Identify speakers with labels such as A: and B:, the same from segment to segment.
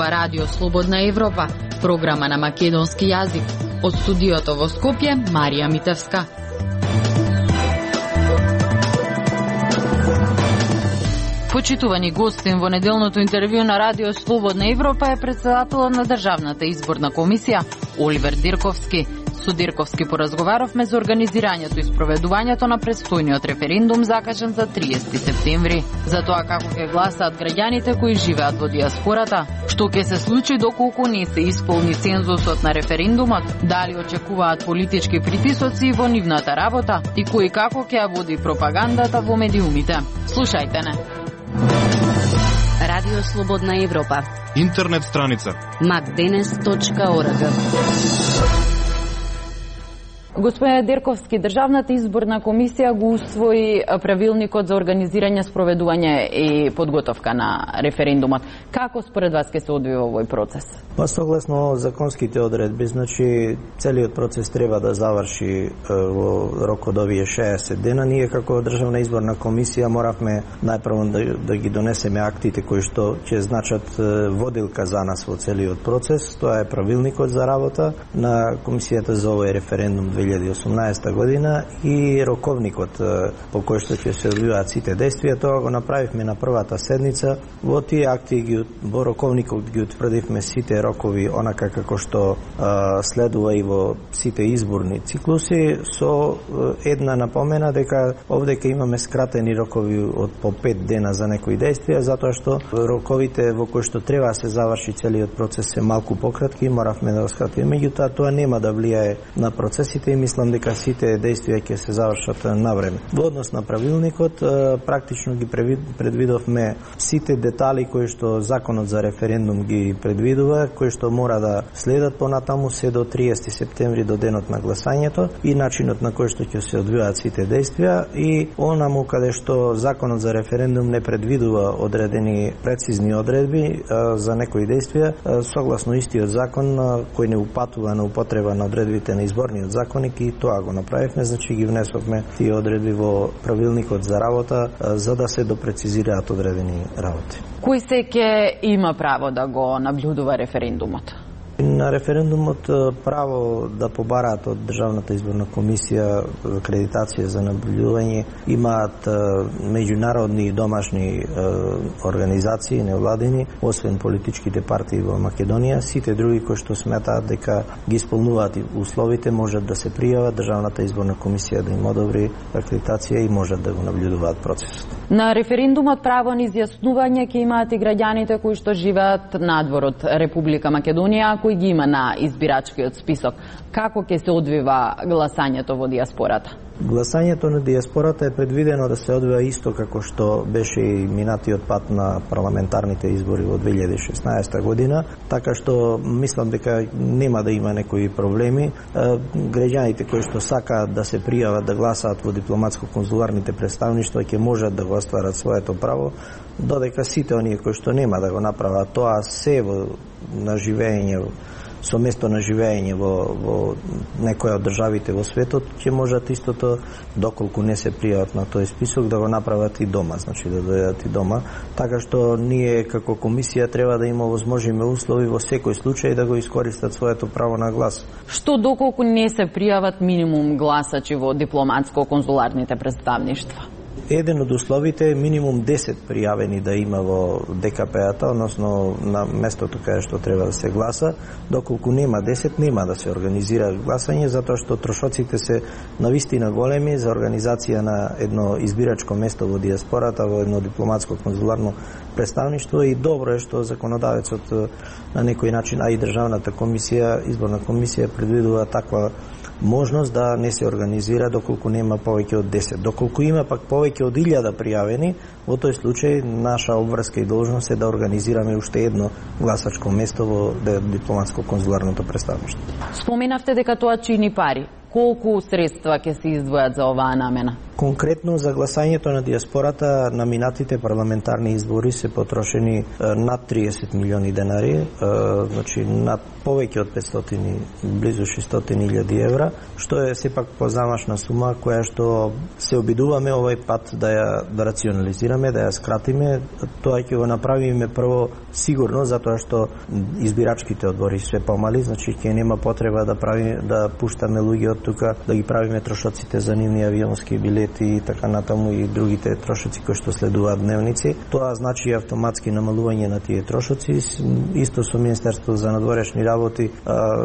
A: ова Радио Слободна Европа, програма на македонски јазик. Од студиото во Скопје, Марија Митевска. Почитувани гостин во неделното интервју на Радио Слободна Европа е председателот на Државната изборна комисија Оливер Дирковски. Со Дирковски поразговаравме за организирањето и спроведувањето на предстојниот референдум закажан за 30 септември. За тоа како ќе гласаат граѓаните кои живеат во диаспората, што ќе се случи доколку не се исполни цензусот на референдумот, дали очекуваат политички притисоци во нивната работа и кој како ќе ја води пропагандата во медиумите. Слушајте не.
B: Радио Слободна Европа.
C: Интернет страница
B: macdenes.org.
D: Господине Дирковски, Државната изборна комисија го усвои правилникот за организирање, спроведување и подготовка на референдумот. Како според вас ќе се одвива овој процес?
E: Па согласно законските одредби, значи целиот процес треба да заврши во рок од овие 60 дена. Ние како Државна изборна комисија моравме најпрво да ги донесеме актите кои што ќе значат водилка за нас во целиот процес. Тоа е правилникот за работа на комисијата за овој референдум 2018 година и роковникот по кој што ќе се одвиваат сите действија. Тоа го направивме на првата седница. Во тие акти во роковникот ги утврдивме сите рокови онака како што следува и во сите изборни циклуси, со една напомена дека овде ќе имаме скратени рокови од по 5 дена за некои действија, затоа што роковите во кои што треба да се заврши целиот процес се малку пократки и моравме да го скратиме. Меѓутоа тоа нема да влијае на процесите и мислам дека сите действија ќе се завршат на време. Во однос на правилникот, практично ги предвидовме сите детали кои што законот за референдум ги предвидува, кои што мора да следат понатаму се до 30 септември до денот на гласањето и начинот на кој што ќе се одвиваат сите действија и онаму каде што законот за референдум не предвидува одредени прецизни одредби за некои действија, согласно истиот закон кој не упатува на употреба на одредбите на изборниот законник и тоа го направивме, значи ги внесовме тие одредби во правилникот за работа за да се допрецизираат одредени работи.
D: Кој се ќе има право да го наблюдува референдумот?
E: На референдумот право да побараат од Државната изборна комисија акредитација за наблюдување имаат меѓународни и домашни организации, невладини, освен политичките партии во Македонија. Сите други кои што сметаат дека ги исполнуваат условите можат да се пријават, Државната изборна комисија да им одобри акредитација и можат да го наблюдуваат процесот.
D: На референдумот право на изјаснување ќе имаат и граѓаните кои што живеат надвор од Република Македонија, кои ги има на избирачкиот список. Како ќе се одвива гласањето во диаспората?
E: Гласањето на диаспората е предвидено да се одвива исто како што беше и минатиот пат на парламентарните избори во 2016 година, така што мислам дека нема да има некои проблеми. Граѓаните кои што сакаат да се пријават да гласаат во дипломатско-конзуларните представништва ќе можат да го остварат своето право, додека сите оние кои што нема да го направат тоа се во наживење со место на живење во некоја од државите во светот, ќе можат истото, доколку не се пријават на тој список, да го направат и дома, значи да дојдат и дома. Така што ние како комисија треба да има возможиме услови во секој случај да го искористат своето право на глас.
D: Што доколку не се пријават минимум гласачи во дипломатско-конзуларните представништва?
E: Еден од условите е минимум 10 пријавени да има во ДКП-ата, односно на местото каде што треба да се гласа. Доколку нема 10, нема да се организира гласање, затоа што трошоците се навистина големи за организација на едно избирачко место во диаспората, во едно дипломатско-конзуларно представништво и добро е што законодавецот на некој начин, а и Државната комисија, изборна комисија предвидува таква можност да не се организира доколку нема повеќе од 10. Доколку има пак повеќе од 1000 пријавени, во тој случај наша обврска и должност е да организираме уште едно гласачко место во дипломатско-конзуларното представништво.
D: Споменавте дека тоа чини пари. Колку средства ќе се издвојат за оваа намена?
E: Конкретно за гласањето на диаспората на минатите парламентарни избори се потрошени над 30 милиони денари, значи над повеќе од 500, близу 600.000 евра, што е сепак позамашна сума која што се обидуваме овај пат да рационализираме, да ја скратиме. Тоа ќе го направиме прво сигурно затоа што избирачките одбори се помали, значи ќе нема потреба да пуштаме луѓе од тука, да ги правиме трошоците за нивни авионски билети и така натаму и другите трошоци кои што следуваат дневници. Тоа значи автоматски намалување на тие трошоци. Исто со Министерството за надворешни работи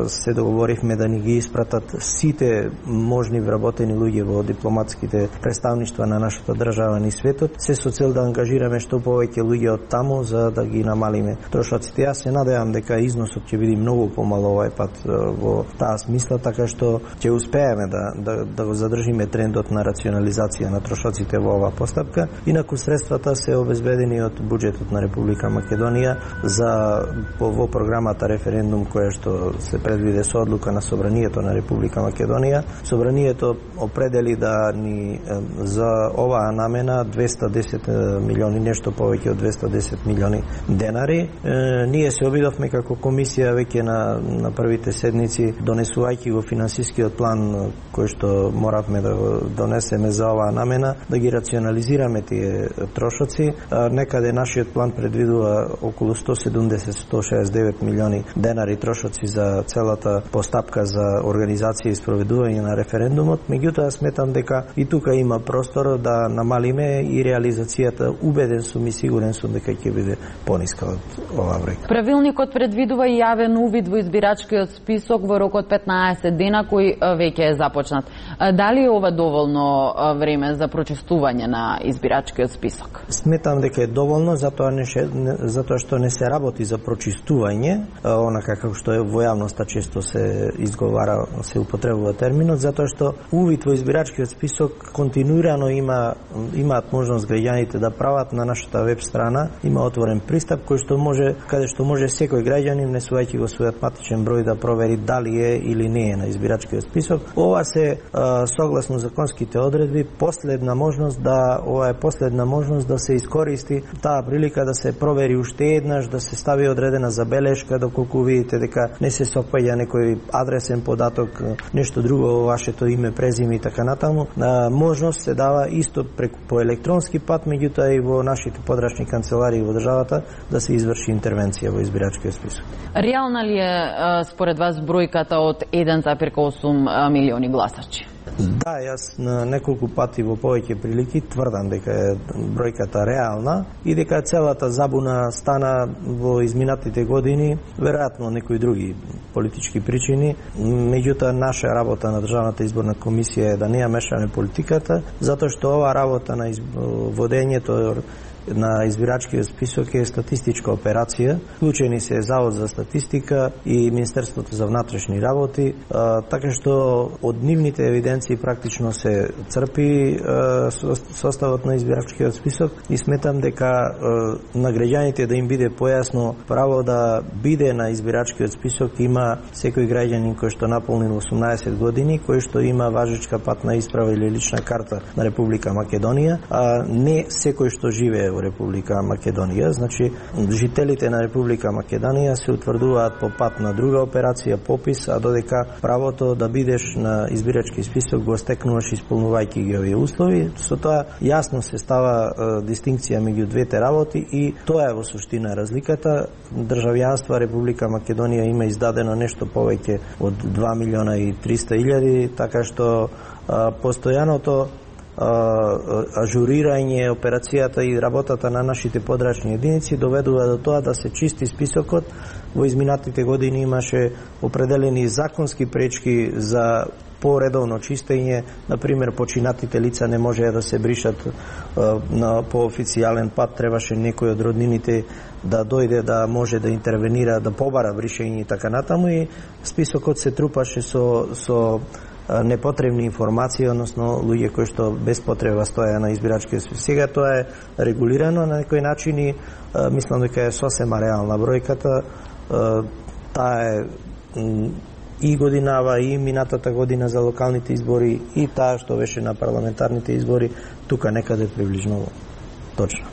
E: се договоривме да ни ги испратат сите можни вработени луѓе во дипломатските представништва на нашата држава низ светот, се со цел да ангажираме што повеќе луѓе од таму за да ги намалиме трошоците. Јас се надевам дека износот ќе биде многу помало овај пат во таа смисла, така што ќе успееме да го задржиме трендот на рационализација на трошоците во оваа постапка. Инаку средствата се обезбедени од буџетот на Република Македонија во програмата референдум која што се предвиде со одлука на Собранието на Република Македонија. Собранието определи да ни за оваа намена 210 милиони, нешто повеќе од 210 милиони денари. Ние се обидовме како комисија веќе на првите седници, донесувајќи го финансискиот план кој што моравме да го донесеме за оваа намена, да ги рационализираме тие трошоци. Некаде нашиот план предвидува околу 170-169 милиони денари трошоци за целата постапка за организација и спроведување на референдумот. Меѓутоа сметам дека и тука има простор да намалиме и реализацијата. Убеден сум и сигурен сум дека ќе биде пониска од оваа бројка.
D: Правилникот предвидува и јавен увид во избирачкиот список во рок од 15 дена кој веќе е започнат. Дали е ова доволно време за прочистување на избирачкиот список?
E: Сметам дека е доволно, затоа што не се работи за прочистување, онака како што е во јавноста често се изговара, се употребува терминот, затоа што увид во избирачкиот список континуирано имаат можност граѓаните да прават на нашата веб страна, има отворен пристап каде што може секој граѓанин, внесувајќи го својот матичен број, да провери дали е или не е на избирачкиот список. Ова се согласно законските одредби последна можност да се искористи таа прилика да се провери уште еднаш, да се стави одредена забелешка доколку видите дека не се сопаѓа некој адресен податок, нешто друго во вашето име, презиме и така натаму. Можност се дава исто по електронски пат, меѓутоа и во нашите подрачни канцеларии во државата да се изврши интервенција во избирачкиот список.
D: Реална ли е според вас бројката од 1,8 милиони гласачи?
E: Да, јас на неколку пати во повеќе прилики тврдам дека е бројката реална и дека целата забуна стана во изминатите години, веројатно некои други политички причини. Меѓутоа, наша работа на Државната изборна комисија е да не ја мешаме политиката, затоа што оваа работа на водењето на избирачкиот список е статистичка операција. Вклучени се Завод за статистика и Министерството за внатрешни работи, така што од нивните евиденции практично се црпи составот на избирачкиот список и сметам дека на граѓаните да им биде појасно право да биде на избирачкиот список има секој граѓанин кој што наполнил 18 години, кој што има важечка патна исправа или лична карта на Република Македонија, а не секој што живее во Република Македонија. Значи, жителите на Република Македонија се утврдуваат по пат на друга операција, попис, а додека правото да бидеш на избирачки список го стекнуваш исполнувајќи ги овие услови. Со тоа јасно се става дистинкција меѓу двете работи и тоа е во суштина разликата. Државјанство Република Македонија има издадено нешто повеќе од 2.300.000, така што постојаното ажурирање, операцијата и работата на нашите подрачни единици доведува до тоа да се чисти списокот. Во изминатите години имаше определени законски пречки за поредовно чистење, например починатите лица не можеа да се бришат по официјален пат, требаше некој од роднините да дојде да може да интервенира, да побара бришење и така натаму, и списокот се трупаше со непотребни информации, односно луѓе кои што без потреба стоја на избирачкиот список. Сега тоа е регулирано на некој начин и мислам дека е сосема реална бројката. Таа е и годинава, и минатата година за локалните избори, и таа што беше на парламентарните избори, тука некаде приближно точно.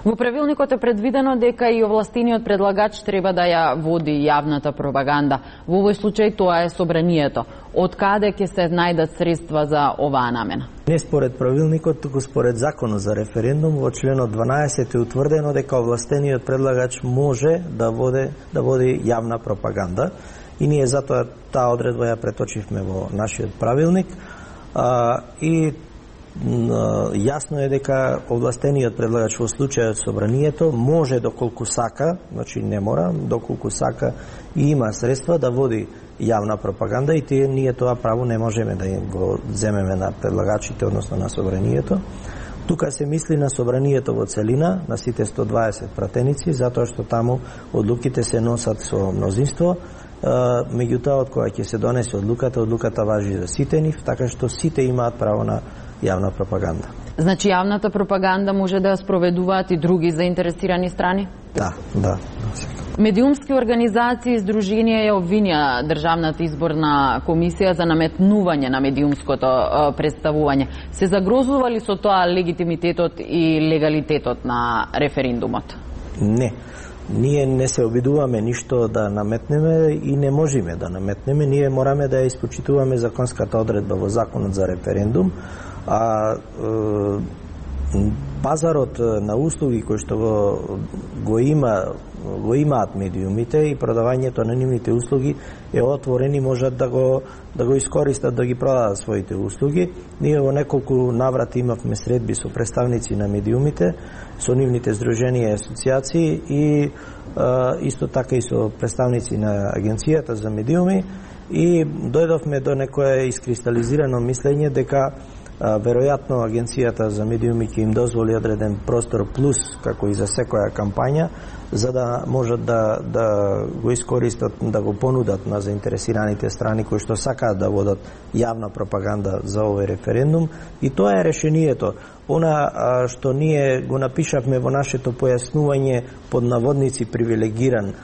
D: Во правилникот е предвидено дека и овластениот предлагач треба да ја води јавната пропаганда. Во овој случај тоа е собранието. Од каде ќе се најдат средства за оваа намена?
E: Не според правилникот, туку според законот за референдум, во членот 12 е утврдено дека овластениот предлагач може да води јавна пропаганда. И ние затоа таа одредба ја преточивме во нашиот правилник. И јасно е дека овластениот предлагач во случајот собранието може доколку сака, значи не мора, доколку сака и има средства да води јавна пропаганда, и ние тоа право не можеме да го земеме на предлагачите, односно на собранието. Тука се мисли на собранието во целина, на сите 120 пратеници, затоа што таму одлуките се носат со мнозинство. Меѓутоа, од кога ќе се донесе одлуката важи за сите нив, така што сите имаат право на јавна пропаганда.
D: Значи јавната пропаганда може да ја спроведуваат и други заинтересирани страни?
E: Да.
D: Медиумски организации и здруженија ја обвинија Државната изборна комисија за наметнување на медиумското представување. Се загрозува ли со тоа легитимитетот и легалитетот на референдумот?
E: Не. Ние не се обидуваме ништо да наметнеме и не можеме да наметнеме. Ние мораме да ја испочитуваме законската одредба во Законот за референдум, а пазарот на услуги кои што го имаат медиумите и продавањето на нивните услуги е отворен и можат да го искористат да ги продадат своите услуги. Ние во неколку наврати имавме средби со представници на медиумите, со нивните здруженија и асоциации и исто така и со представници на Агенцијата за медиуми, и дојдовме до некое искристализирано мислење дека веројатно Агенцијата за медиуми ќе им дозволи одреден простор плюс, како и за секоја кампања, за да можат да го искористат, да го понудат на заинтересираните страни кои што сакаат да водат јавна пропаганда за овој референдум. И тоа е решението. Она што ние го напишавме во нашето појаснување под наводници привилегиран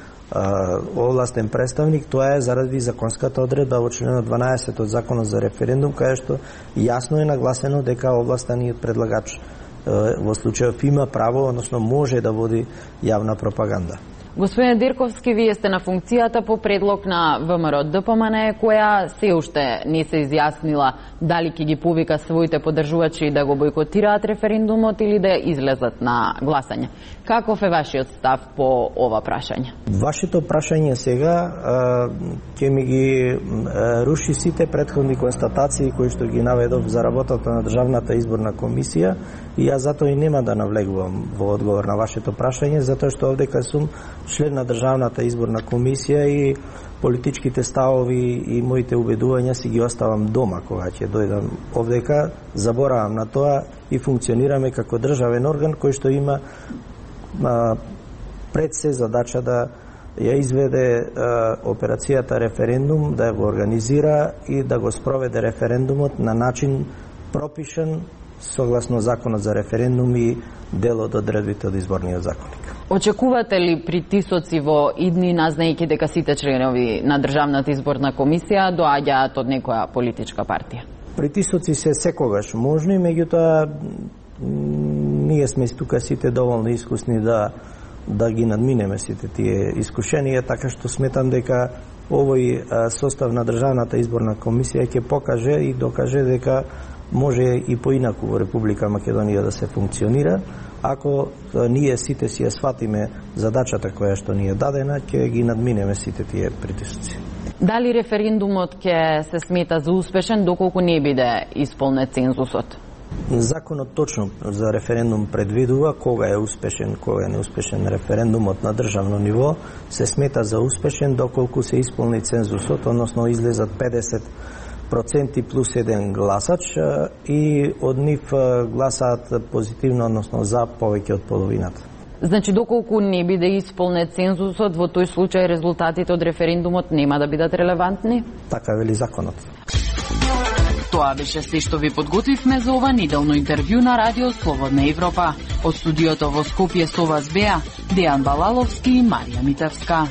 E: овластен представник, тоа е заради законската одредба во членот 12 од Законот за референдум, каде што јасно е нагласено дека овластениот предлагач во случајов има право, односно може да води јавна пропаганда.
D: Господин Дирковски, вие сте на функцијата по предлог на ВМРО-ДПМН, која се уште не се изјаснила дали ќе ги повика своите поддржувачи да го бойкотираат референдумот или да излезат на гласање. Каков е вашиот став по ова прашање?
E: Вашето прашање сега ќе ми ги руши сите претходни констатации кои што ги наведов за работата на Државната изборна комисија, и јас затоа и нема да навлегувам во одговор на вашето прашање, затоа што овдека сум член на Државната изборна комисија и политичките ставови и моите убедувања си ги оставам дома кога ќе дојдам овдека. Заборавам на тоа и функционираме како државен орган кој што има пред се задача да ја изведе операцијата референдум, да го организира и да го спроведе референдумот на начин пропишан согласно Законот за референдум и дел од одредбите од изборниот законник.
D: Очекувате ли притисоци во идни, назнајќи дека сите членови на Државната изборна комисија доаѓаат од некоја политичка партија?
E: Притисоци се секогаш можни, меѓутоа ние сме тука сите доволно искусни да ги надминеме сите тие искушенија, така што сметам дека овој состав на Државната изборна комисија ќе покаже и докаже дека може и поинаку во Република Македонија да се функционира, ако ние сите си ја сватиме задачата која што ни е дадена, ќе ги надминеме сите тие притисоци.
D: Дали референдумот ќе се смета за успешен доколку не биде исполнет цензусот?
E: Законот точно за референдум предвидува кога е успешен, кога е неуспешен референдумот на државно ниво, се смета за успешен доколку се исполни цензусот, односно излезат 50% плюс еден гласач и од нив гласаат позитивно, односно за повеќе од половината.
D: Значи, доколку не биде исполнет цензусот, во тој случај резултатите од референдумот нема да бидат релевантни?
E: Така вели законот.
A: Тоа беше се што ви подготвивме за ова неделно интервју на Радио Слободна Европа. Од студиото во Скопје со вас беа Дејан Балаловски и Марија Митевска.